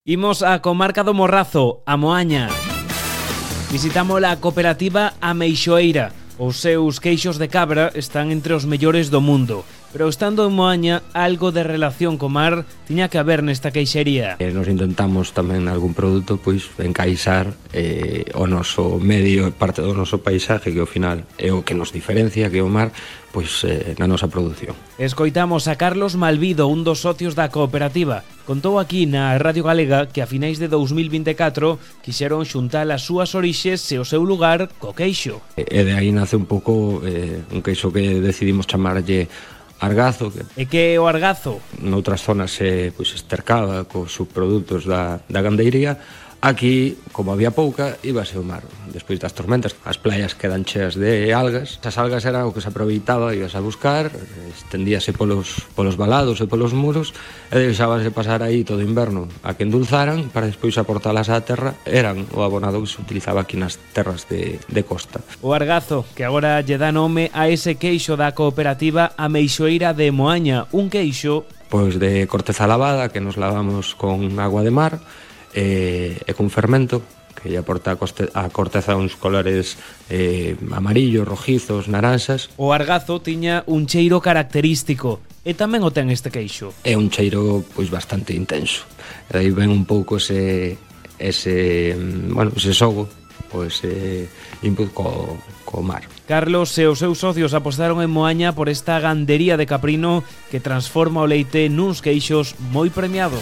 Imos á comarca do Morrazo, a Moaña. Visitamos a cooperativa Ameixoeira. Os seus queixos de cabra están entre os mellores do mundo. Pero estando en Moaña, algo de relación co mar tiña que haber nesta queixería. Nos intentamos tamén algún produto pois encaixar o noso medio, parte do noso paisaje, que ao final é o que nos diferencia, que é o mar, pois na nosa produción. Escoitamos a Carlos Malvido, un dos socios da cooperativa. Contou aquí na Radio Galega que a finais de 2024 quixeron xuntar as súas orixes e o seu lugar co queixo. E de aí nace un pouco un queixo que decidimos chamarlle argazo. E que é o argazo? Noutras zonas se estercaba cos subprodutos da gandeiría. Aquí, como había pouca, íbase ao mar. Despois das tormentas, as playas quedan cheas de algas. As algas era o que se aproveitaba, ibas a buscar, estendíase polos valados e polos muros, e deixábase pasar aí todo o inverno a que endulzaran para despois aportalas á terra. Eran o abonado que se utilizaba aquí nas terras de costa. O argazo, que agora lle dá nome a ese queixo da cooperativa Ameixoeira de Moaña, un queixo pois de corteza lavada, que nos lavamos con agua de mar, e con fermento, que lle aporta a corteza uns colores amarillos, rojizos, naranxas. O argazo tiña un cheiro característico, e tamén o ten este queixo. É un cheiro pois bastante intenso. E aí ven un pouco ese xogo, pois input co mar. Carlos e os seus socios apostaron en Moaña por esta gandería de caprino que transforma o leite nuns queixos moi premiados.